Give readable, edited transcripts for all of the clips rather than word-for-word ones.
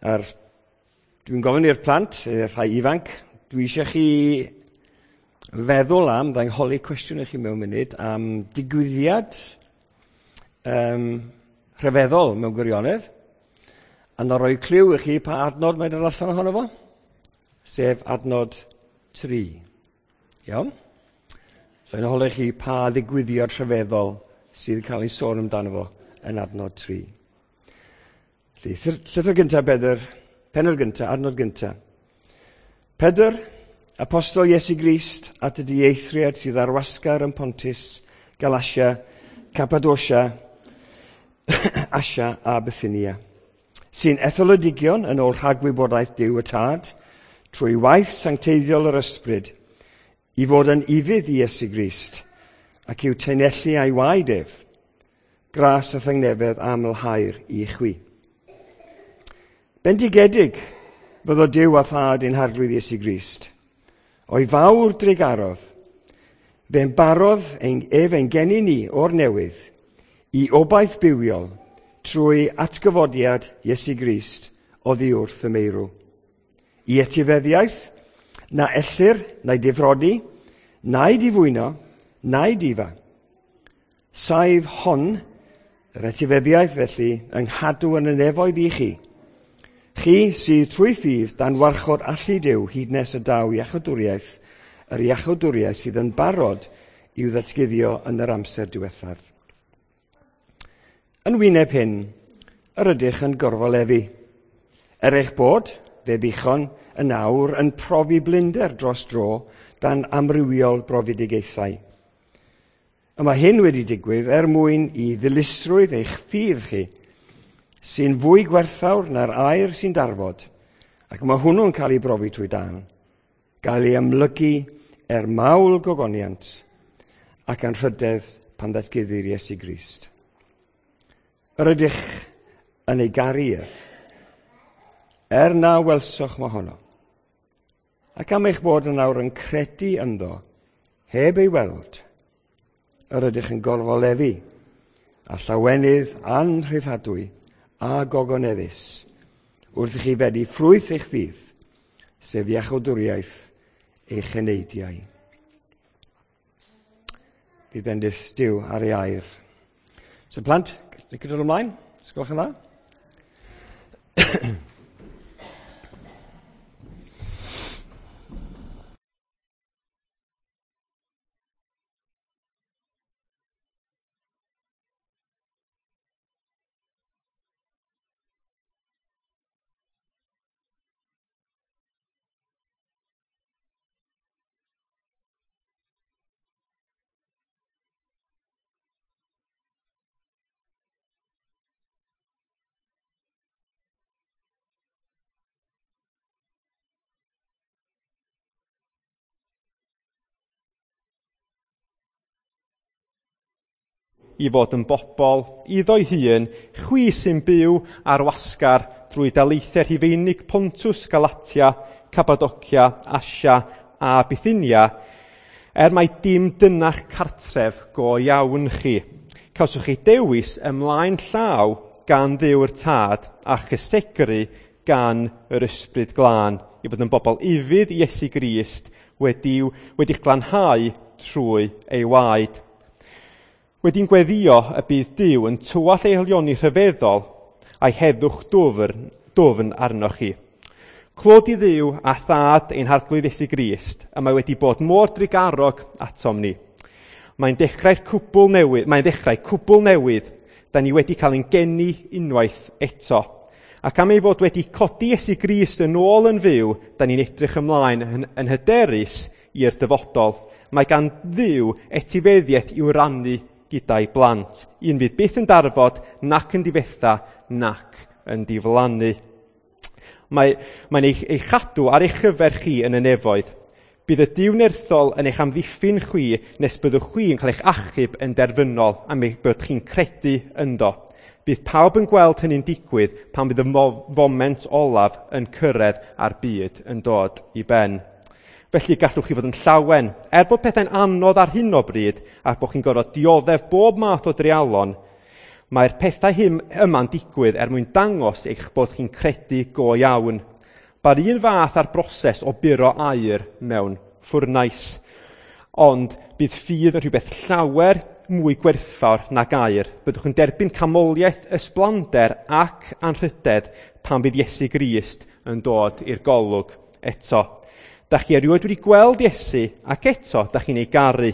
A'r, dwi'n gofyn i'r plant, rhai ifanc, dwi eisiau chi feddwl am, dda'n holi cwestiwn i chi mewn munud, am digwyddiad rhyfeddol mewn gwirionedd, a na roi cliw i chi pa adnod mae'n dod allan ohono fo, sef adnod 3. Iawn? So i'n holi chi pa ddigwyddiad rhyfeddol sydd yn cael ei sôn amdano fo yn adnod 3. Felly, llythyr gyntaf Pedr, pennod gyntaf, adnod gyntaf. Pedr, apostol Iesu Grist, at y dieithriad sydd ar wasgar yn Pontus, Galatia, Cappadocia, Asia a Bithynia, sy'n etholodigion yn ôl rhagwybodaeth Duw y Tad, trwy waith sancteiddiol yr Ysbryd, i fod yn ufudd i Iesu Grist, ac i'w taenellu a'i waed ef, gras a thangnefedd amlhaer i chwi. Bendigedig fyddo Duw a Thad ein Harglwydd Iesu Grist. O'i fawr drugarodd, fe'n barodd ef ein geni ni o'r newydd i obaith bywiol trwy atgyfodiad Iesu Grist oddi wrth y meirw. I etifeddiaeth na ellir na'i difrodi, na'i difwyno, na'i difa. Saif hon, yr etifeddiaeth felly, yng nghadw yn y nefoedd i chi. Chi sydd trwy ffydd dan warchod allu Duw hyd nes y daw iachawdwriaeth, yr iachawdwriaeth sydd yn barod i'w ddatguddio yn yr amser diwethaf. Yn wyneb hyn, yr ydych yn gorfoleddu. Er eich bod, fe ddichon, yn awr yn profi blinder dros dro dan amrywiol brofedigaethau. A mae hyn wedi digwydd er mwyn i ddilysrwydd eich ffydd chi, sy'n fwy gwerthfawr na'r aur sy'n darfod, ac mae hwnnw'n cael ei brofi trwy dân, gael ei amlygu er mawl gogoniant ac anrhydedd pan ddatguddir Iesu Grist. Yr ydych yn ei garu ef, er na welsoch mohono, ac am eich bod yn awr yn credu ynddo, heb ei weld, yr ydych yn gorfoleddu a llawenydd anrhyddhadwy a gogoneddus wrth i chi fedi ffrwyth eich ffydd, sef iachawdwriaeth eich eneidiau. Bydd bendith Duw ar ei air. So plant, licio dod ymlaen? Os gwelwch yn dda? I fod yn bobl iddo'i hun, chwi sy'n byw ar wasgar drwy daleithiau Rhufeinig Pontus, Galatia, Cappadocia, Asia a Bithynia, er mai dim dyna'ch cartref go iawn chi. Cawswch chi dewis ymlaen llaw gan Dduw'r Tad a chysegru gan yr Ysbryd Glân i fod yn bobl ufudd i Iesu Grist wedi'ch glanhau trwy ei waed. Wedi'n gweddio y bydd Duw yn tywallt ei haelioni rhyfeddol a'i heddwch dwfn arnoch chi. Clod i Dduw a Thad ein Harglwydd Iesu Grist, y mae wedi bod mor drugarog atom ni. Mae'n dechrau'r cwbl newydd, mae'n dechrau cwbl newydd, da ni wedi cael ein geni unwaith eto. Ac am ei fod wedi codi Iesu Grist yn ôl yn fyw, da ni'n edrych ymlaen yn hyderus i'r dyfodol. Mae gan Dduw etifeddiaeth i'w rannu gyda'i blant. Un fydd byth yn darfod, nac yn difetha, nac yn diflannu. Mae'n ei chadw ar eich chyfer chi yn y nefoedd. Bydd y Duw nerthol yn eich amddiffyn chwi nes byddwch chwi yn cael eich achub yn derfynol am eich bod chi'n credu ynddo. Bydd pawb yn gweld hynny'n digwydd pan fydd y foment olaf yn cyrraedd a'r byd yn dod i ben. Felly gallwch chi fod yn llawen, er bod pethau'n anodd ar hyn o bryd a bod chi'n gorfod dioddef bob math o dreialon, Mae'r pethau hyn yma'n digwydd er mwyn dangos eich bod chi'n credu go iawn. Ba'r un fath â'r broses o buro aur mewn ffwrnais. Ond bydd ffydd yn rhywbeth llawer mwy gwerthfawr nag aur. Byddwch yn derbyn canmoliaeth, ysblander ac anrhydedd pan fydd Iesu Grist yn dod i'r golwg eto. Da chi erioed wedi gweld Iesu ac eto da chi'n ei garu.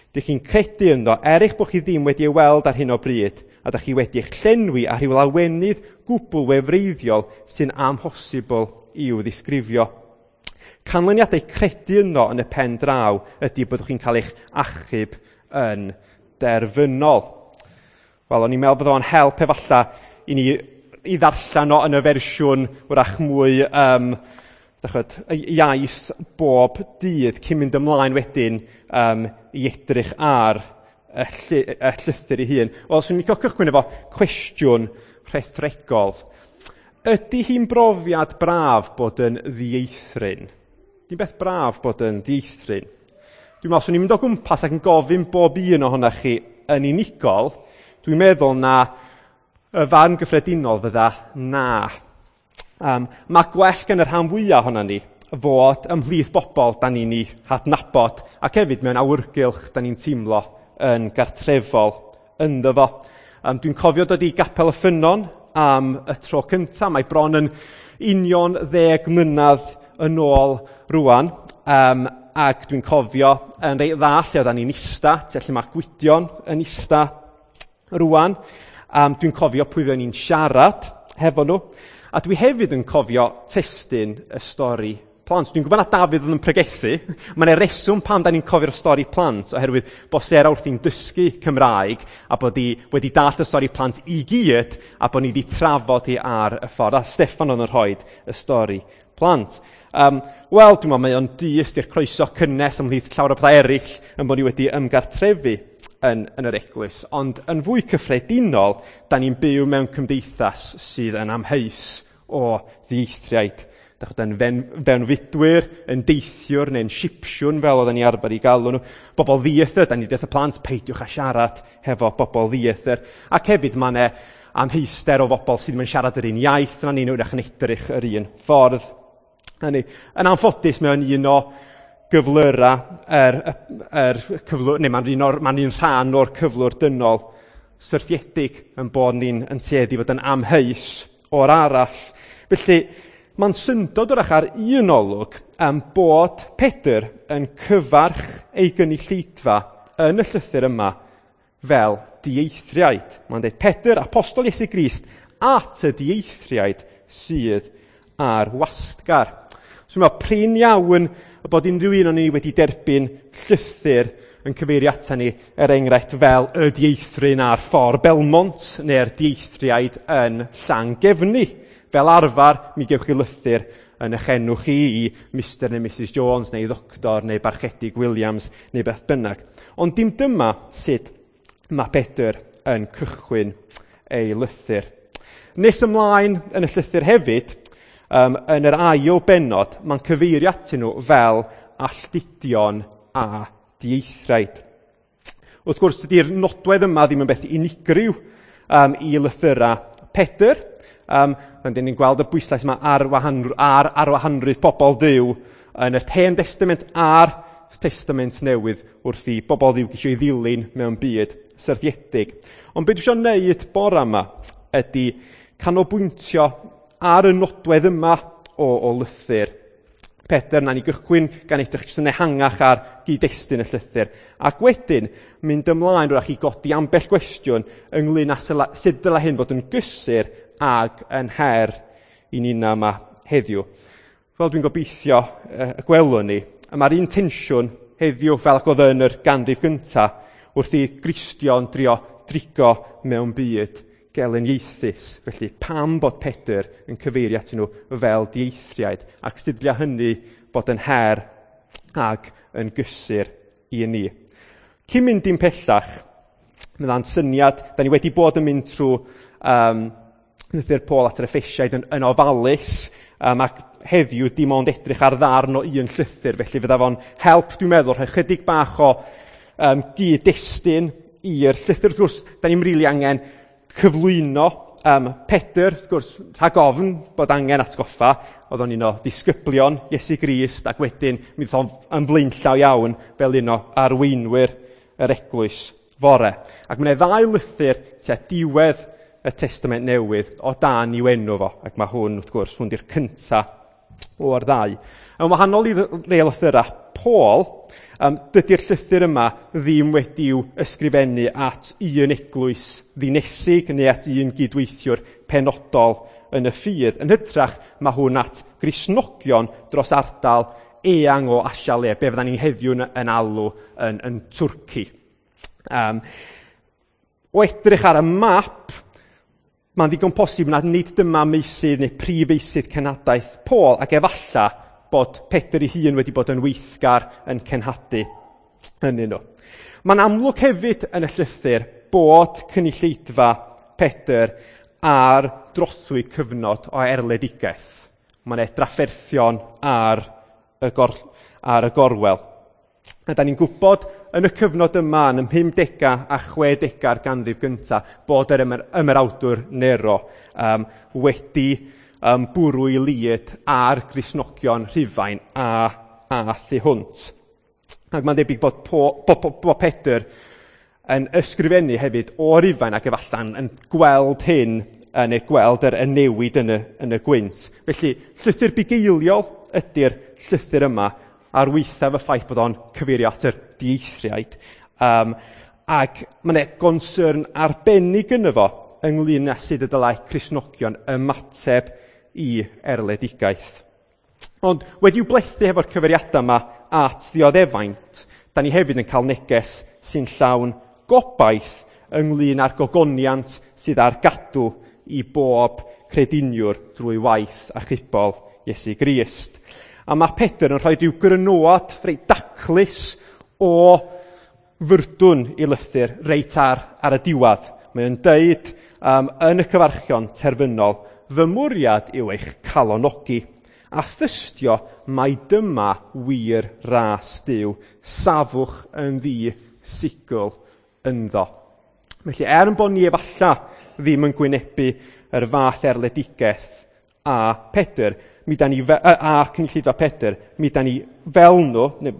Dych chi'n credu ynddo er eich bod chi ddim wedi ei weld ar hyn o bryd, a da chi wedi eich llenwi â rhyw lawenydd gwbl wefreiddiol sy'n amhosibl i'w ddisgrifio. Canlyniadau credu ynddo yn y pen draw ydy byddwch chi'n cael eich achub yn derfynol. Wel, o'n i'n meddwl bod o'n help efallai i ni i ddarllen o yn y fersiwn wrach mwy iaith bob dydd cyn mynd ymlaen wedyn i edrych ar y llythyr ei hun. Wel, swn i'n licio cychwyn efo cwestiwn rhethregol. Ydy hi'n brofiad braf bod yn ddieithryn? Di'n beth braf bod yn ddieithryn? Dwi'n meddwl, swn i'n mynd o gwmpas ac yn gofyn bob un ohonoch chi yn unigol, dwi'n meddwl na y farn gyffredinol fydda na. Mae gwell gan y rhan fwyaf ohonon ni fod ymhlith bobl da ni'n ei hadnabod ac hefyd mewn awyrgylch da ni'n teimlo yn gartrefol ynddo fo. Dwi'n cofio dod i Gapel y Ffynnon am y tro cyntaf. Mae bron yn union 10 mlynedd yn ôl rwan. Ac dwi'n cofio yn reit dda lle oeddan ni'n ista, lle mae Gwydion yn ista rwan. Dwi'n cofio pwy oedden ni'n siarad hefo nhw. A dwi hefyd yn cofio testun y stori plant. Dwi'n gwybod na Dafydd oedd yn pregethu. Mae yna reswm pam da ni'n cofio'r stori plant, oherwydd bod Sarah wrthi'n dysgu Cymraeg a bod hi wedi dallt y stori plant i gyd a bod ni wedi trafod hi ar y ffordd. A Steffan oedd yn rhoi y stori plant. Wel, dwi'n meddwl mae o'n dyst i'r croeso cynnes ymhlith llawer o pethau eraill yn bod ni wedi ymgartrefu yn yr eglwys. Ond yn fwy cyffredinol, da ni'n byw mewn cymdeithas sydd yn amheus o ddieithriaid. Dach chi'n fewnfudwyr, yn deithiwr neu'n sipsiwn fel oedden ni arfer i galw nhw. Bobl ddieithr, da ni deud wrth y plant, peidiwch â siarad hefo bobl ddieithr. Ac hefyd mae yna amheuster o bobl sydd ddim yn siarad yr un iaith na ni, nhw'n edrych yr un ffordd. Hynny, yn anffodus, mae o'n un o gyflyrau yr cyflwr, neu mae'n un rhan o'r cyflwr dynol syrthiedig yn bod ni'n yn tueddu fod yn amheus o'r arall. Felly, mae'n syndod wrach ar un olwg am bod Pedr yn cyfarch ei gynulleidfa yn y llythyr yma fel dieithriaid. Mae'n dweud, Pedr, apostol Iesu Grist, at y dieithriaid sydd ar wastgar. So mae'n prin iawn bod unrhyw un o'n ni wedi derbyn llythyr yn cyfeirio ata ni, er enghraifft, fel y dieithryn ar ffordd Belmont neu'r dieithriaid yn Llangefni. Fel arfer, mi gewch chi lythyr yn eich enw chi i Mr neu Mrs Jones neu Ddoctor neu Barchedig Williams neu beth bynnag. Ond dim dyma sut mae Pedr yn cychwyn ei lythyr. Nes ymlaen yn y llythyr hefyd, yn yr ail bennod, mae'n cyfeirio atyn nhw fel alltudion a dieithriaid. Wrth gwrs, dydy'r nodwedd yma ddim yn beth unigryw i lythyrau Pedr. Rydyn ni'n gweld y bwyslais yma ar arwahanrwydd pobl Dduw yn yr Hen Testament a'r Testament Newydd wrth i bobl Dduw geisio ei ddilyn mewn byd syrthiedig. Ond beth dwi eisiau wneud bore yma ydy canolbwyntio ar y nodwedd yma o lythyr Pedr. Na ni gychwyn gan edrych jyst yn ehangach ar gyd-destun y llythyr. Ac wedyn mynd ymlaen wrach i godi ambell gwestiwn ynglyn â sut dylai hyn fod yn gysur ag yn her i ninnau yma heddiw. Fel dwi'n gobeithio y gwelwn ni, mae'r un tensiwn heddiw fel ac oedd yn yr ganrif gyntaf wrth i Gristion drio drigo mewn byd gelyniaethus. Felly pam bod Pedr yn cyfeirio atyn nhw fel dieithriaid ac sut dylai hynny bod yn her ag yn gysur i ni. Cyn mynd i'n pellach, mae'n syniad, da ni wedi bod yn mynd trwy lythyr Paul at yr Effesiaid yn ofalus, ac heddiw dim ond edrych ar ddarn o un llythyr, felly fydda fo'n help, dwi'n meddwl, rhoi chydig bach o gyd-destun i'r llythyr. Wrth gwrs, da ni'n rili angen cyflwyno Pedr, wrth gwrs, rhag ofn bod angen atgoffa, oedd o'n un o ddisgyblion Iesu Grist, ac wedyn mi ddoth o'n yn flaenllaw iawn fel un o arweinwyr yr eglwys fore. Ac mae yna ddau lythyr tua diwedd y Testament Newydd o dan i'w enw fo, ac mae hwn, wrth gwrs, hwn di'r cynta o'r ddau. Yn wahanol i rei lythyrau Paul, dydy'r llythyr yma ddim wedi'w ysgrifennu at un eglwys ddinesig neu at un gydweithiwr penodol yn y ffydd. Yn hytrach, mae hwn at Gristnogion dros ardal eang o Asia le, be fyddan ni heddiw yn alw yn Twrci. O edrych ar y map, mae'n ddigon posib nad nid dyma meysydd neu prif feysydd cenhadaeth Paul, ac efalla bod Pedr ei hun wedi bod yn weithgar yn cenhadu ynddyn nhw. Mae'n amlwg hefyd yn y llythyr bod cynulleidfa Pedr ar drothwy cyfnod o erledigaeth. Mae'n drafferthion ar y gorwel. A da ni'n gwybod yn y cyfnod yma, yn y 50au a 60au'r ganrif gyntaf, bod yr ymerawdwr Nero wedi bwrw i lid ar Gristnogion Rhufain a thu hwnt. Ac mae'n debyg bod Pedr yn ysgrifennu hefyd o Rufain ac efallai yn gweld hyn, neu gweld yr newid yn y gwynt. Felly, llythyr bugeiliol ydy'r llythyr yma, ar waethaf y ffaith bod o'n cyfeirio at yr dieithriaid. Ac mae yna gonsyrn arbennig yno fo ynglyn â sut y dylai Cristnogion ymateb i erledigaeth. Ond wedi'w blethu hefo'r cyfeiriadau yma at ddioddefaint, da ni hefyd yn cael neges sy'n llawn gobaith ynglyn â'r gogoniant sydd ar gadw i bob crediniwr drwy waith achubol Iesu Grist. A mae Pedr yn rhoi rhyw grynoad reit daclus o fyrdwn i lythyr reit ar y diwedd. Mae o'n deud yn y cyfarchion terfynol, fy mwriad yw eich calonogi a thystio mai dyma wir ras Duw, safwch yn ddi-sigl ynddo. Felly, er yn bod ni efalla ddim yn gwynebu yr fath erledigaeth a Pedr, mi da ni a cynulleidfa Pedr, mi da ni fel nhw, neu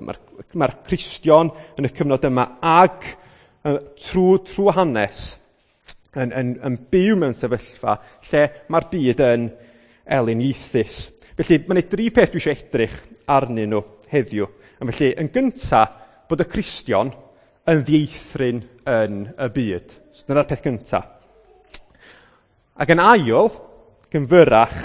mae'r Cristion yn y cyfnod yma ag trwy hanes yn byw mewn sefyllfa lle mae'r byd yn eliniaethus. Felly, mae yna dri peth dwi eisiau edrych arnyn nhw heddiw. A felly, yn gyntaf, bod y Cristion yn ddieithryn yn y byd. So, dyna'r peth gyntaf. Ac yn ail, gynfyrach,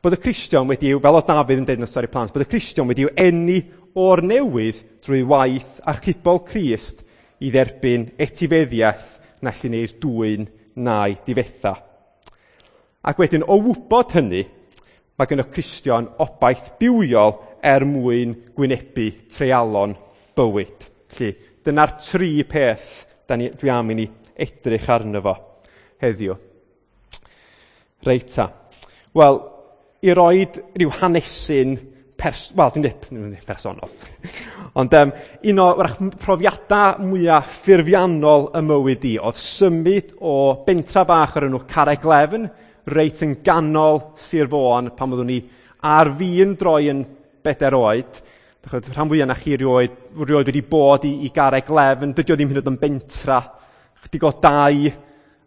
bod y Cristion wedi, fel oedd Dafydd yn dweud yn y stori plant, bod y Cristion wedi eni o'r newydd drwy waith achubol Crist i dderbyn etifeddiaeth na allu neu'r dwyn na'i difetha. Ac wedyn, o wybod hynny, mae gen y Cristion obaith bywiol er mwyn gwynebu treialon bywyd. Felly, dyna'r tri peth dwi am i ni edrych arno fo heddiw. Reit ta. Wel, i roed rhyw hanesyn dim personol. Ond un o profiadau mwyaf ffurfiannol y mywyd i oedd symud o bentra bach o'r enw Carreg Lefn, reit yn ganol Sir Fôn, pan oeddwn i ar fin droi yn 4 oed. Rhan fwyaf na chi rioed wedi bod i Garreg Lefn, dydy o ddim hyd yn oed yn bentra. Chydig o dau,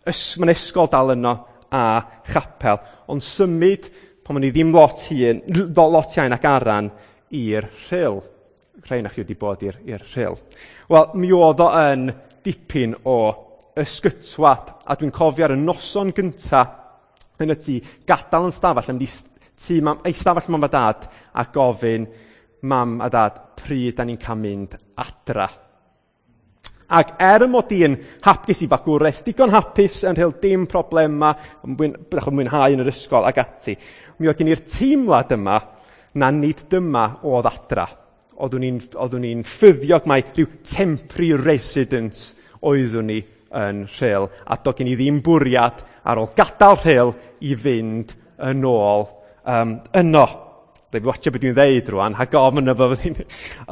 mae'n ysgol dal yno a chapel. Ond symud pan o'n i ddim lot iawn ac aran i'r Rhyl. Rhai na chi wedi bod i'r Rhyl. Wel, mi oedd o yn dipyn o ysgytwad, a dwi'n cofio ar y noson gynta yn y tŷ, gadael yn stafell, yn mynd i stafell mam a dad, a gofyn mam a dad, pryd da ni'n cael mynd adra. Ac er y mod i yn hapus i fagwraeth, digon hapus yn rhyl dim problema, mwynhau yn yr ysgol ac ati, mi oedd gen i'r teimlad yma na nid dyma oedd adra. Oeddwn i'n ffyddiog mai rhyw temporary resident oeddwn i yn Rhyl, a doedd gen i ddim bwriad ar ôl gadael Rhyl i fynd yn ôl yno. Rhaid fi watcha beth dwi'n ddeud rwan, rhag ofn yno fo.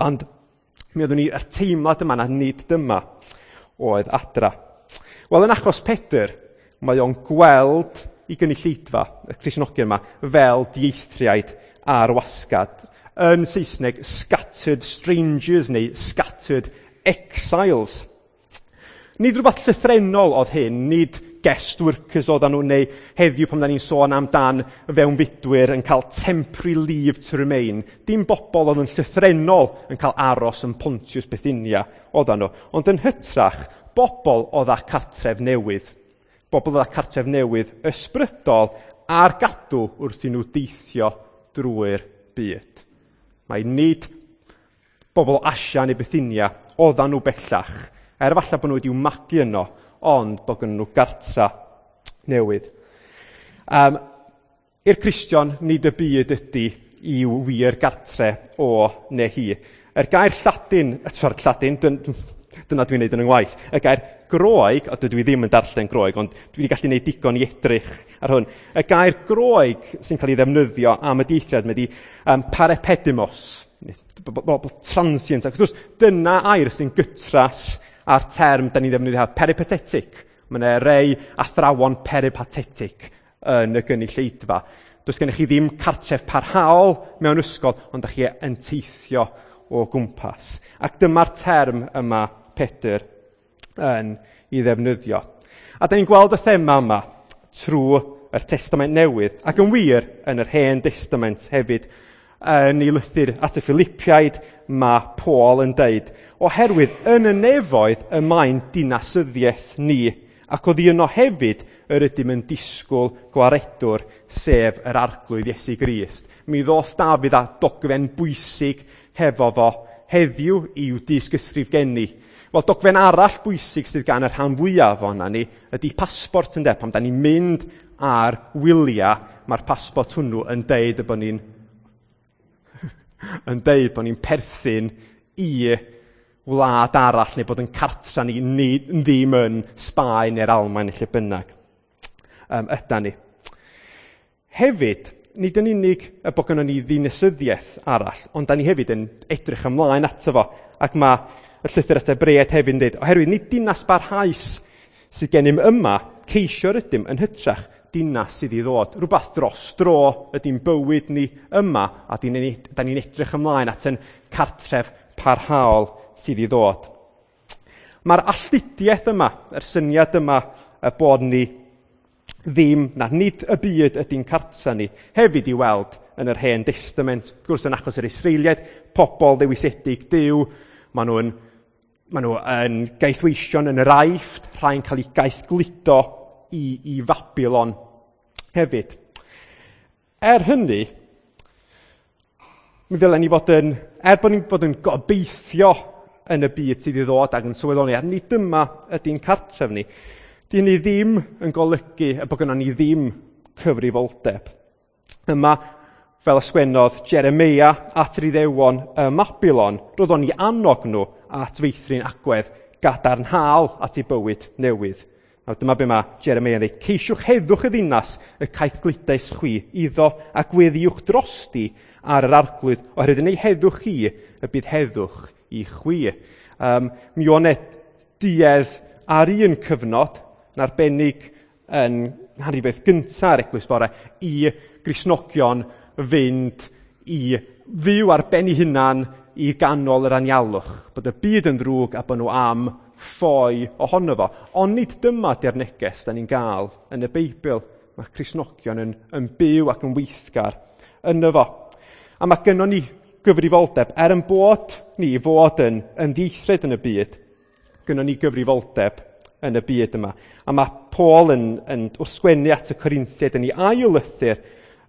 Ond mi oeddwn i yr teimlad yma na nid dyma oedd adra. Wel, yn achos Pedr, Mae o'n gweld i gynulleidfa, y Cristnogion yma, fel dieithriaid ar wasgad. Yn Saesneg, scattered strangers neu scattered exiles. Nid rhywbeth llythrennol oedd hyn, nid guest workers oedden nhw, neu heddiw pan da ni'n sôn amdan fewnfudwyr yn cael temporary leave to remain. Dim bobl oedd yn llythrennol yn cael aros yn Pontius Bithynia oedden nhw, ond yn hytrach, bobl oedd â cartref newydd. Bobl oedd â cartref newydd ysbrydol ar gadw wrth i nhw deithio drwy'r byd. Mae nid bobl o Asia neu Bithynia oedden nhw bellach, er falle bod nhw wedi'w magu yno, ond bod gynnon nhw gartra newydd. I'r Cristion, nid y byd ydy i'w wir gartre o neu hi. Yr gair Lladin, sorry, Lladin, dyna dwi'n neud yn 'y ngwaith. Y gair Groeg, a dydw i ddim yn darllen Groeg, ond dwi wedi gallu neud digon i edrych ar hwn. Y gair Groeg sy'n cael ei ddefnyddio am y deithiad, mae di parepedimos, transient. Ac wrth gwrs, dyna air sy'n gytras a'r term da ni'n ddefnyddio, peripatetic. Mae yna rei athrawon peripatetic yn y gynulleidfa. Does gennych chi ddim cartref parhaol mewn ysgol, ond da chi yn teithio o gwmpas. Ac dyma'r term yma Pedr yn ei ddefnyddio. A da ni'n gweld y thema yma trwy yr Testament Newydd, ac yn wir yn yr Hen Testament hefyd. Yn ei lythyr at y Philippiaid, mae Paul yn deud, oherwydd yn y nefoedd y mae'n dinasyddiaeth ni, ac oddi yno hefyd yr ydym yn disgwyl gwaredwr, sef yr Arglwydd Iesu Grist. Mi ddoth Dafydd â dogfen bwysig hefo fo heddiw i'w dysgysgrif geni. Wel, dogfen arall bwysig sydd gan y rhan fwyaf ohona ni ydy pasbort, ynde. Pan da ni'n mynd ar wyliau, mae'r pasbort hwnnw yn deud y bod ni'n yn deud bod ni'n perthyn i wlad arall neu bod yn cartra ni, ni ddim yn Sbaen neu'r Almaen neu lle bynnag yda ni. Hefyd, nid yn unig y bod gynnon ni ddinasyddiaeth arall, ond da ni hefyd yn edrych ymlaen ato fo. Ac mae y llythyr at Hebreaid hefyd yn dweud, oherwydd nid dinas barhaus sydd gennym yma, ceisio rydym yn hytrach dinas sydd i ddod. Rhywbeth dros dro ydy'n bywyd ni yma, a da ni'n edrych ymlaen at yn cartref parhaol sydd i ddod. Mae'r alltudiaeth yma, yr syniad yma y bod ni ddim, na nid y byd ydy'n cartra ni, hefyd i weld yn yr Hen Testament. Wrth gwrs, yn achos yr Israeliaid, pobl ddewisedig Duw, maen nhw yn gaethweision yn yr Aifft, rhai'n cael eu gaethgludo i Fabilon hefyd. Er hynny, mi ddylen ni fod yn, er bod ni'n bod yn gobeithio yn y byd sydd i ddod ac yn sylweddoli, a nid dyma ydy'n cartref ni, di hynny ddim yn golygu y bod gynnon ni ddim cyfrifoldeb. Yma, fel ysgwennodd Jeremia at yr Iddewon ym Mabilon, roedd o'n i annog nhw at feithrin agwedd gadarnhaol at eu bywyd newydd. Nawr, dyma be mae Jeremia yn dweud. Ceisiwch heddwch y ddinas y caeth gludais chwi iddo a gweddiwch drosti ar yr Arglwydd, oherwydd yn ei heddwch chi y bydd heddwch i chwi. Mi o'n e duedd ar un cyfnod, yn arbennig yn nghanrif gynta'r Eglwys Fore, i Gristnogion fynd i fyw ar ben eu hunan i ganol yr anialwch, bod y byd yn ddrwg a bod nhw am ffoi ohono fo. Ond nid dyma di'r neges da ni'n gael yn y Beibl. Mae Cristnogion yn byw ac yn weithgar yno fo. A mae gynnon ni gyfrifoldeb, er yn bod ni fod yn ddieithriad yn y byd, gynnon ni gyfrifoldeb yn y byd yma. A mae Paul yn wrth sgwennu at y Corinthiaid yn ei ail lythyr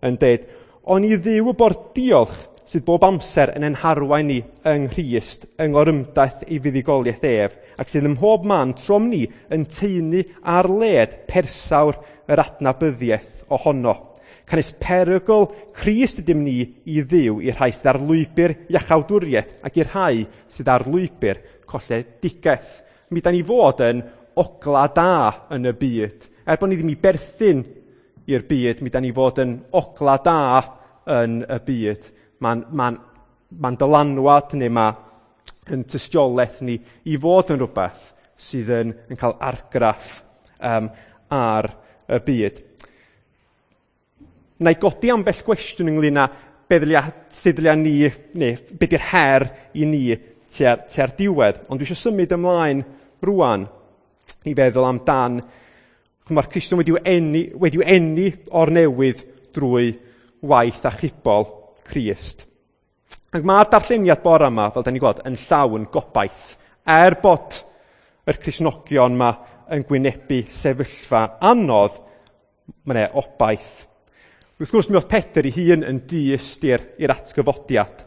yn dweud, ond i Dduw y bo'r diolch sydd bob amser yn ein harwain ni yng Nghrist, yng ngorymdaith ei fuddugoliaeth ef, ac sydd ym mhob man trom ni yn taenu ar led persawr yr adnabyddiaeth ohono. Canys perygl Crist ydym ni i Dduw i'r rhai sydd ar lwybr iachawdwriaeth ac i'r rhai sydd ar lwybr colledigaeth. Mi da ni fod yn ogla da yn y byd. Er bod ni ddim i berthyn i'r byd, mi da ni fod yn ogla da yn y byd. Mae'n dylanwad neu mae yn tystiolaeth ni i fod yn rhywbeth sydd yn cael argraff ar y byd. Na i godi ambell gwestiwn ynglyn â be sydd ddylia ni, neu be di'r her i ni tua'r diwedd. Ond dwi eisiau symud ymlaen rwan i feddwl amdan, mae'r Cristion wedi'w eni o'r newydd drwy waith achubol Crist. Ac mae'r darlleniad bore yma, fel da ni'n gweld, yn llawn gobaith. Er bod yr Cristnogion yma yn gwynebu sefyllfa anodd, mae yna obaith. Wrth gwrs, mi oedd Pedr ei hun yn dyst i'r atgyfodiad.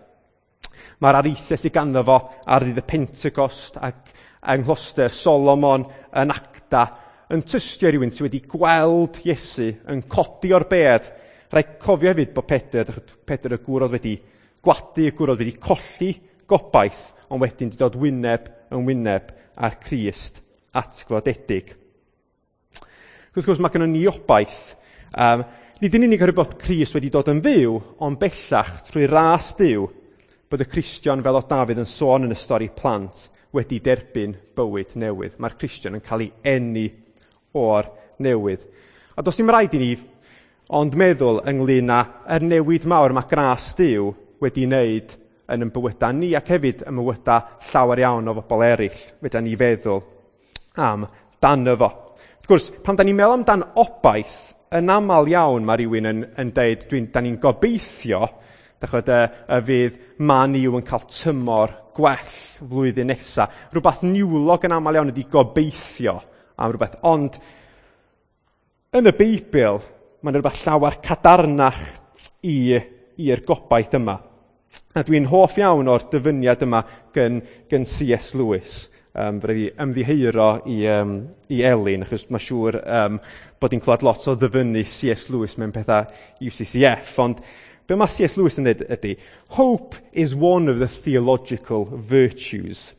Mae'r areithiau sydd ganddo fo ar ddydd y Pentecost ac yng nghloster Solomon yn Acta yn tystio rhywun sydd wedi gweld Iesu yn codi o'r bedd. Rhaid cofio hefyd bod Pedr y gŵr oedd wedi gwadu, y gŵr oedd wedi colli gobaith, ond wedyn wedi dod wyneb yn wyneb â'r Crist atgyfodedig. Wrth gwrs, mae gennym ni obaith. Nid yn unig oherwydd bod Crist wedi dod yn fyw, ond bellach trwy ras Duw, bod y Cristion, fel oedd Dafydd yn sôn yn y stori plant, wedi derbyn bywyd newydd. Mae'r Cristion yn cael ei eni o'r newydd. A does dim rhaid i ni ond meddwl ynglyn â yr newid mawr mae gras Duw wedi wneud yn ein bywydau ni ac hefyd yn bywydau llawer iawn o bobl eraill, fedra ni feddwl am dan fo. Wrth gwrs, pan da ni'n meddwl amdan obaith, yn aml iawn mae rhywun yn deud, da ni'n gobeithio, dachod, y fydd Man U yn cael tymor gwell flwyddyn nesaf. Rhywbeth niwlog yn aml iawn ydy gobeithio am rhywbeth. Ond yn y Beibl, mae'n rhywbeth llawer cadarnach i'r gobaith yma. A dwi'n hoff iawn o'r dyfyniad yma gyn C.S. Lewis. Rhaid i ymddiheuro i Elin, achos mae'n siŵr bod hi'n clywed lot o ddyfynnu C.S. Lewis mewn pethau UCCF, ond be mae C.S. Lewis yn dweud ydy, "Hope is one of the theological virtues.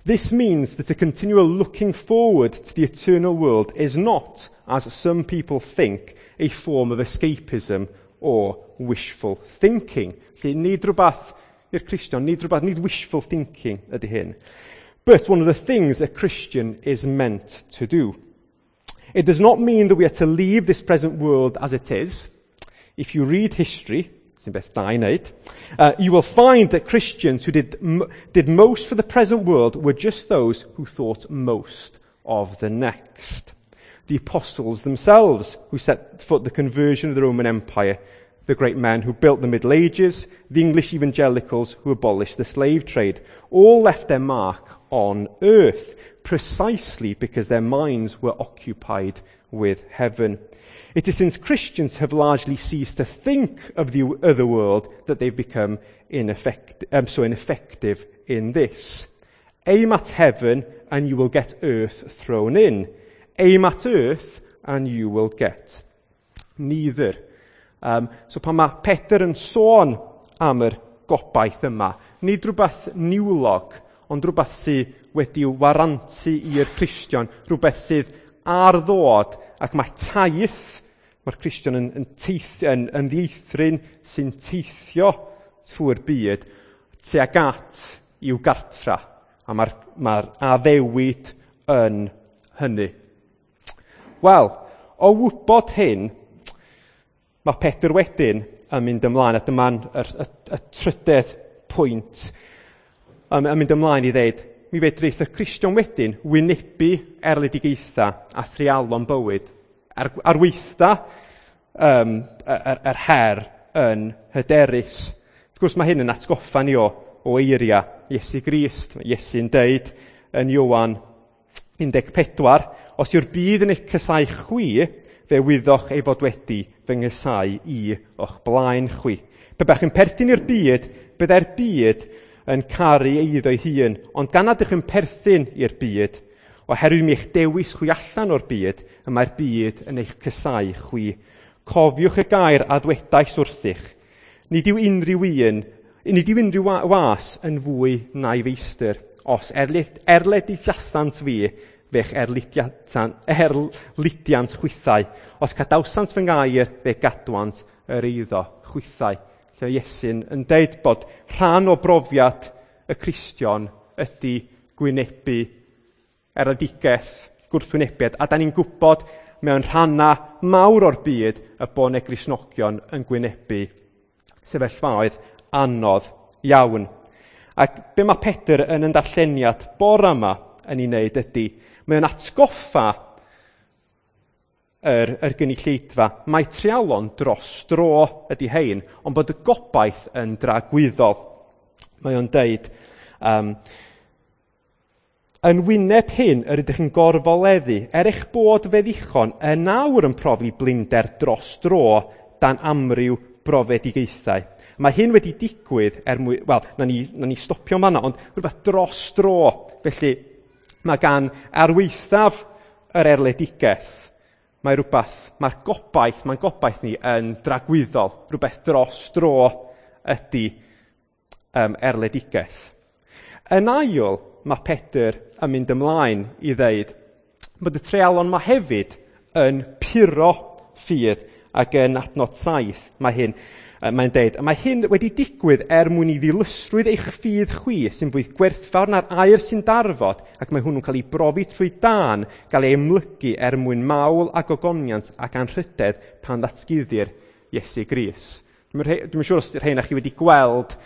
This means that a continual looking forward to the eternal world is not, as some people think, a form of escapism or wishful thinking." Felly, nid rhywbeth i'r Cristion, nid rhywbeth, nid wishful thinking ydy hyn. "But one of the things a Christian is meant to do. It does not mean that we are to leave this present world as it is. If you read history," sy'n beth da i wneud, "you will find that Christians who did most for the present world were just those who thought most of the next. The apostles themselves, who set foot the conversion of the Roman Empire, the great men who built the Middle Ages, the English evangelicals who abolished the slave trade, all left their mark on earth, precisely because their minds were occupied with heaven. It is since Christians have largely ceased to think of the other world that they've become so ineffective in this. Aim at heaven and you will get earth thrown in. Aim at earth and you will get neither." So pan mae Pedr yn sôn am yr gobaith yma, nid rhywbeth niwlog, ond rhywbeth sydd wedi'w warantu i'r Cristion, rhywbeth sydd ar ddod, ac mae taith, mae'r Cristion yn ddieithryn sy'n teithio trwy'r byd tuag at i'w gartra, a mae'r addewid yn hynny. Wel, o wybod hyn, mae Pedr wedyn yn mynd ymlaen, a dyma'n y trydedd pwynt, yn mynd ymlaen i ddeud, mi fedrith y Cristion wedyn wynebu erledigaethau a threialon bywyd, ar weitha yr her yn hyderus. Wrth gwrs, mae hyn yn atgoffa ni o eiriau Iesu Grist. Mae Iesu'n deud yn Ioan 14, "Os yw'r byd yn eich casáu chwi, fe wyddoch ei fod wedi fy nghasáu i o'ch blaen chwi. Pe baech yn perthyn i'r byd, byddai'r byd yn caru eiddo ei hun, ond gan nad ydych yn perthyn i'r byd, oherwydd mi eich dewis chwi allan o'r byd, y mae'r byd yn eich casáu chwi. Cofiwch y gair a ddwedais wrthych. Nid yw unrhyw was yn fwy na'i feistr. Os erlediasant fi, fe'ch erlidiant chwithau. Os cadawsant fy ngair, fe gadwant yr eiddo chwithau." Lle Iesu'n yn deud bod rhan o brofiad y Cristion ydy gwynebu erledigaeth, gwrthwynebiad, a da ni'n gwybod mewn rhannau mawr o'r byd y bod 'na Gristnogion yn gwynebu sefyllfaoedd anodd iawn. Ac be mae Pedr yn yn darlleniad bore yma yn ei wneud ydy, mae o'n atgoffa yr gynulleidfa, mae treialon dros dro ydy hein, ond bod y gobaith yn dragwyddol. Mae o'n deud, yn wyneb hyn yr ydych yn gorfoleddu, er eich bod fe ddichon yn awr yn profi blinder dros dro dan amryw brofedigaethau. Mae hyn wedi digwydd er mwy... Wel, na ni stopio fan'na, ond rhywbeth dros dro. Felly, mae gan arweithaf yr erledigaeth, mae rhywbeth, mae'r gobaith, mae'n gobaith ni yn dragwyddol. Rhywbeth dros dro ydy erledigaeth. Yn ail, mae Pedr yn mynd ymlaen i ddeud bod y treialon yma hefyd yn puro ffydd, ac yn adnod 7 mae hyn, mae'n deud, a mae hyn wedi digwydd er mwyn i ddilysrwydd eich ffydd chwi sy'n fwy gwerthfawr na'r aur sy'n darfod, ac mae hwnnw'n cael ei brofi trwy dân, gael ei amlygu er mwyn mawl a gogoniant ac anrhydedd pan ddatguddir Iesu Grist. Dwi'm yn siŵr os rheina chi wedi gweld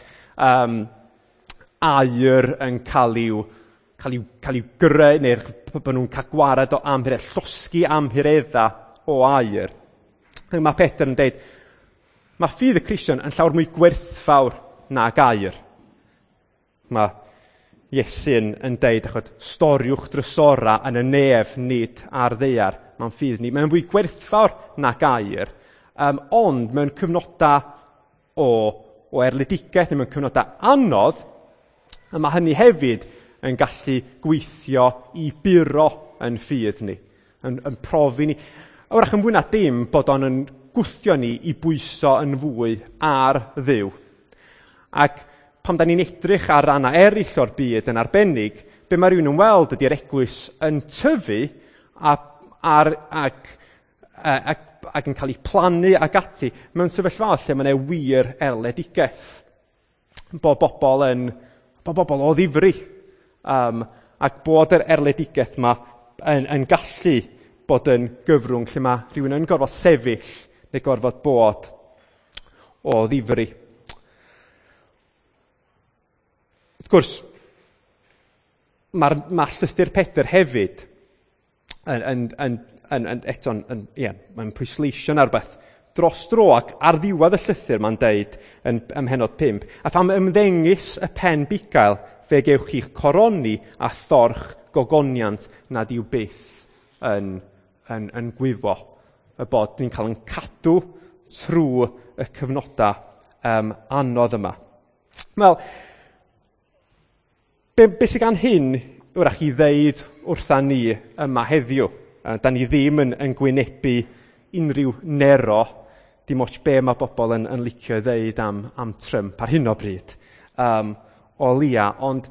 aur yn cael i'w greu, neu'r bod nhw'n cael gwared o amhuredd, llosgi amhuredda o aur. Mae Pedr yn deud, mae ffydd y Cristion yn llawer mwy gwerthfawr nag aur. Mae Iesu'n yn deud, achos storiwch drysora yn y nef, nid ar ddaear. Mae'n ffydd ni. Mae'n fwy gwerthfawr nag aur, ond mewn cyfnodau o erledigaeth neu mewn cyfnodau anodd, a mae hynny hefyd yn gallu gweithio i buro yn ffydd ni, yn profi ni. A wrach yn fwy na dim bod o'n yn gwthio ni i bwyso yn fwy ar Dduw. Ac pan da ni'n edrych ar rannau eraill o'r byd yn arbennig, be mae rhywun yn weld ydy'r eglwys yn tyfu ac yn cael ei plannu ac ati mewn sefyllfa lle mae yna wir erledigaeth. Bod bobl o ddifri, ac bod yr erledigaeth yma yn gallu bod yn gyfrwng lle mae rhywun yn gorfod sefyll neu gorfod bod o ddifri. Wrth gwrs, mae llythyr Pedr hefyd mae'n pwysleisio na rhywbeth dros dro, ac ar ddiwedd y llythyr mae'n deud ym mhennod 5, a pham ymddengys y pen bugail, fe gewch chi'ch coroni a thorch gogoniant nad yw byth yn gwywo, y bod ni'n cael yn cadw trwy y cyfnodau anodd yma. Wel, be sydd gan hyn wrach i ddeud wrtha ni yma heddiw? Da ni ddim yn gwynebu unrhyw Nero, dim ots be mae bobl yn licio i ddeud am Trump ar hyn o bryd, o leia, ond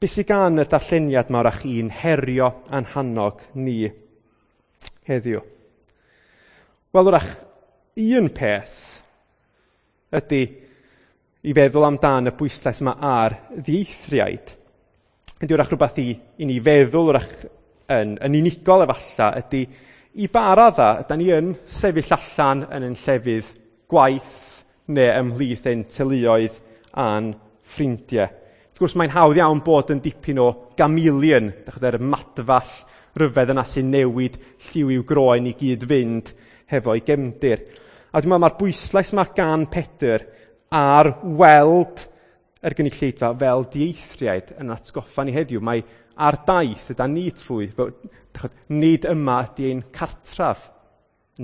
be sydd gan y darlleniad yma wrach i'n herio a'n hannog ni heddiw? Wel, wrach, un peth ydy i feddwl amdan y bwyslais yma ar ddieithriaid. Ydy wrach rhywbeth i ni feddwl wrach yn unigol efallai ydy i ba radda ydan ni yn sefyll allan yn ein llefydd gwaith neu ymhlith ein teuluoedd a'n ffrindiau. Wrth gwrs, mae'n hawdd iawn bod yn dipyn o gamelion, dach chi'n madfall ryfedd yna sy'n newid lliw i'w groen i gyd fynd hefo'i gefndir. A dwi'n meddwl mae'r bwyslais yma gan Pedr ar weld yr gynulleidfa fel dieithriaid yn atgoffa ni heddiw. Mae ar daith yda ni trwy, nid yma ydy ein cartref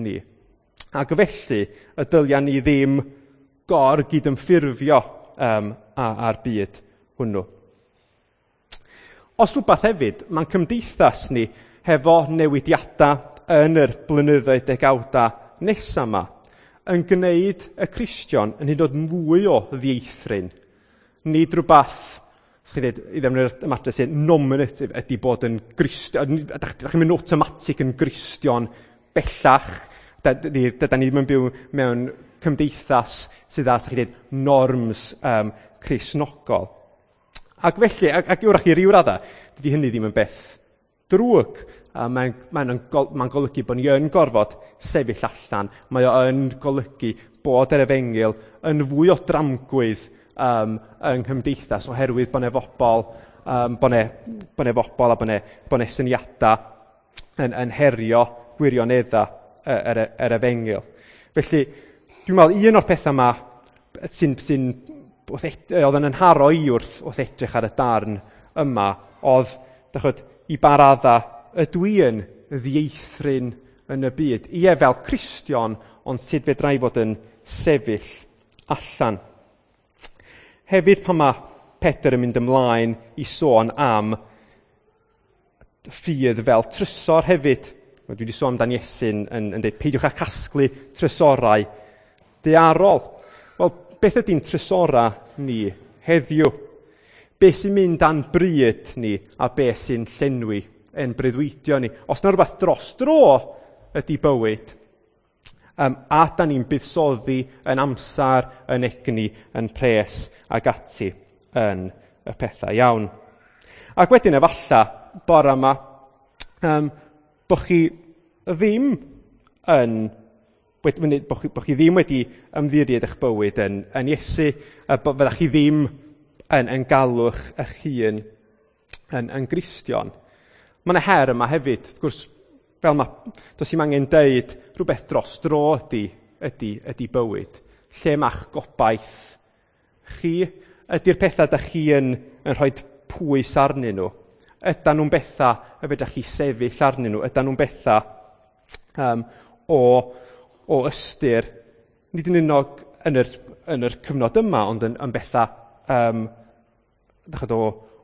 ni. Ac felly y dylia ni ddim gor-gydymffurfio â'r byd hwnnw. Os rhywbeth hefyd, mae'n cymdeithas ni hefo newidiadau yn yr blynyddoedd degawdau nesaf yma yn gwneud y Cristion yn hyd yn oed mwy o ddieithryn. Nid rhywbeth, chi ddweud, i ddefnyddio'r ymadrodd sy'n nominative ydy bod yn Gristion, ydych chi'n mynd automatic yn Gristion bellach, da ni ddim yn byw mewn cymdeithas sydd â, chi ddweud, norms Cristnogol. Ac felly, ac wrach i ryw raddau, dydy hynny ddim yn beth drwg. Mae'n golygu bod ni yn gorfod sefyll allan. Mae o yn golygu bod yr efengyl yn fwy o dramgwydd yng nghymdeithas oherwydd bod 'na bobl, bod 'na bobl a bod 'na syniadau yn herio gwirioneddau yr efengyl. Felly, dwi'n meddwl un o'r pethau yma sy'n oedd yn nharo i wrth edrych ar y darn yma oedd, dachod, i ba radda ydw i yn ddieithryn yn y byd. Ie, fel Cristion, ond sut fedra i fod yn sefyll allan. Hefyd pan mae Pedr yn mynd ymlaen i sôn am ffydd fel trysor hefyd. Dwi wedi sôn amdan Iesu'n yn dweud, peidiwch â casglu trysorau daearol. Wel, beth ydy'n trysorau ni heddiw? Be sy'n mynd â'n bryd ni a be sy'n llenwi ein breuddwydio ni? Os na rhywbeth dros dro ydy bywyd, a da ni'n buddsoddi yn amser, yn egni, yn pres ac ati yn y pethau iawn. Ac wedyn efalla, bore yma, bo chi ddim yn bo chi ddim wedi ymddiried eich bywyd yn Iesu, a fyddach chi ddim yn galw eich hun yn Gristion. Mae yna her yma hefyd, wrth gwrs, fel mae, does dim angen deud rhywbeth dros dro ydy bywyd. Lle ma'ch gobaith chi? Ydy'r pethau da chi yn rhoi pwys arnyn nhw? Ydan nhw'n bethau y fedrwch chi sefyll arnyn nhw? Ydan nhw'n bethau o ystyr, nid yn unig yn yr cyfnod yma, ond yn bethau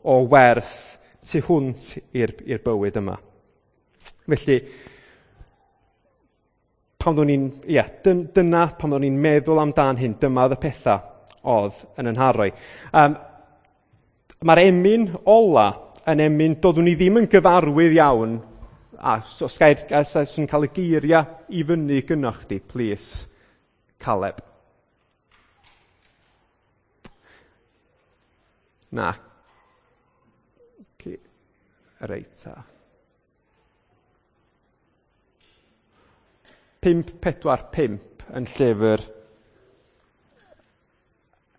o werth tu hwnt i'r bywyd yma. Felly, pan o'n i'n, ie, dyna pan o'n i'n meddwl amdan hyn, dyma oedd y pethau oedd yn 'y nharo i. Mae'r emyn ola yn emyn doeddwn i ddim yn gyfarwydd iawn, a so, os gair, os cael y geiriau i fyny gynnoch chdi, please, Caleb. Na. Reit ta. 5, 4, 5 yn llyfr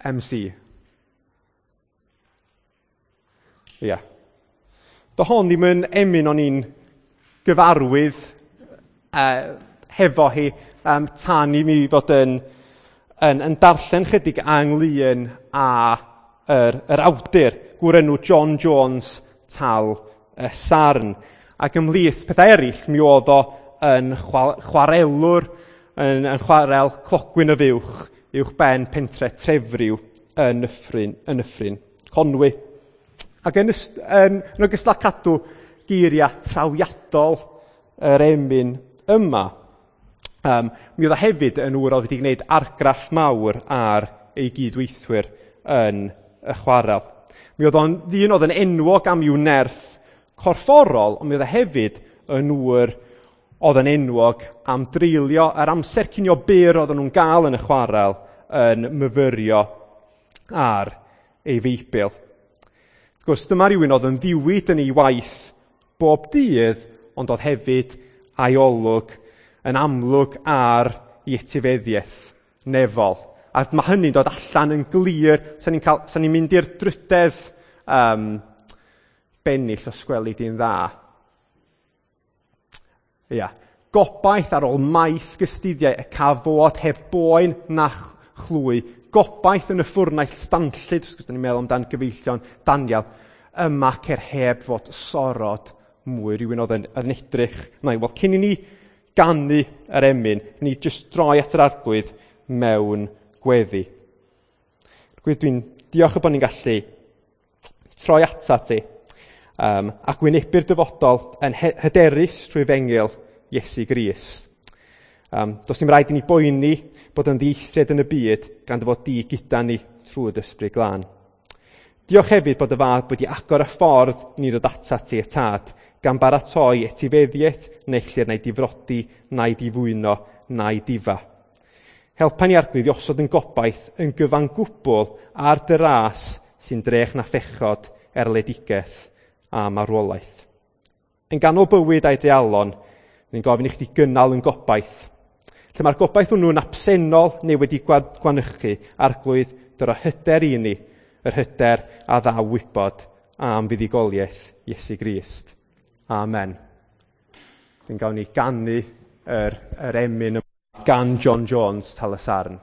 MC. Ia. Do hon ddim yn emyn o'n i'n gyfarwydd hefo hi tan i mi fod yn darllen chydig ynglyn â yr awdur, gŵr enw John Jones Tal y Sarn. Ac ymhlith pethau eraill, mi oedd o yn chwarelwr, yn chwarel Clogwyn y Fuwch, uwch ben pentre Trefriw yn Nyffryn Conwy. Ac yn ogystal â cadw geiriau trawiadol yr emyn yma, mi oedd o hefyd yn ŵr oedd wedi gwneud argraff mawr ar ei gydweithwyr yn y chwarel. Mi oedd o'n ddyn oedd yn enwog am i'w nerth corfforol, ond mi oedd o hefyd yn ŵr oedd yn enwog am dreulio yr amser cinio byr oedden nhw'n gael yn y chwarel yn myfyrio ar ei Feibl. Wrth gwrs, dyma rhywun oedd yn ddiwyd yn ei waith bob dydd, ond oedd hefyd a'i olwg yn amlwg ar ei etifeddiaeth nefol. A mae hynny'n dod allan yn glir. Sa'n ni'n sa ni mynd i'r drydedd bennill os gweli di'n dda. Ia. Gobaith ar ôl maith gystuddiau y cafod heb boen na chlwy. Gobaith yn y ffwrnaill stanllyd, wrth gwrs, ni'n meddwl amdan gyfeillion Daniel, yma cer heb fod sorod mwy, rhywun oedd yn edrych. Mae, wel, cyn i ni ganu yr emyn, ni jyst droi at yr Arglwydd mewn gweddi. Gwedd dwi'n diolch y bod ni'n gallu troi atat ti ac wynebu'r dyfodol yn hyderus trwy efengyl Iesu Grist. Does dim rhaid i ni boeni bod yn ddieithriad yn y byd gan dy fod di gyda ni trwy dy Ysbryd Glân. Diolch hefyd bod y Fab wedi agor y ffordd i ni ddod atat ti y Tad, gan baratoi etifeddiaeth na ellir na'i difrodi, na'i difwyno, na'i difa. Helpa ni, Arglwydd, i osod yn gobaith yn gyfan gwbl ar dy ras sy'n drech na phechod, erledigaeth a marwolaeth. Yn ganol bywyd a'i dealon, ni'n gofyn i chdi gynnal yn gobaith. Lle mae'r gobaith hwnnw'n absennol neu wedi gwanychu, Arglwydd, dyro hyder i ni, yr hyder a ddaw wybod am fuddugoliaeth Iesu Grist. Amen. Dwi'n gawn ni ganu yr emyn gan John Jones, Tal y Sarn.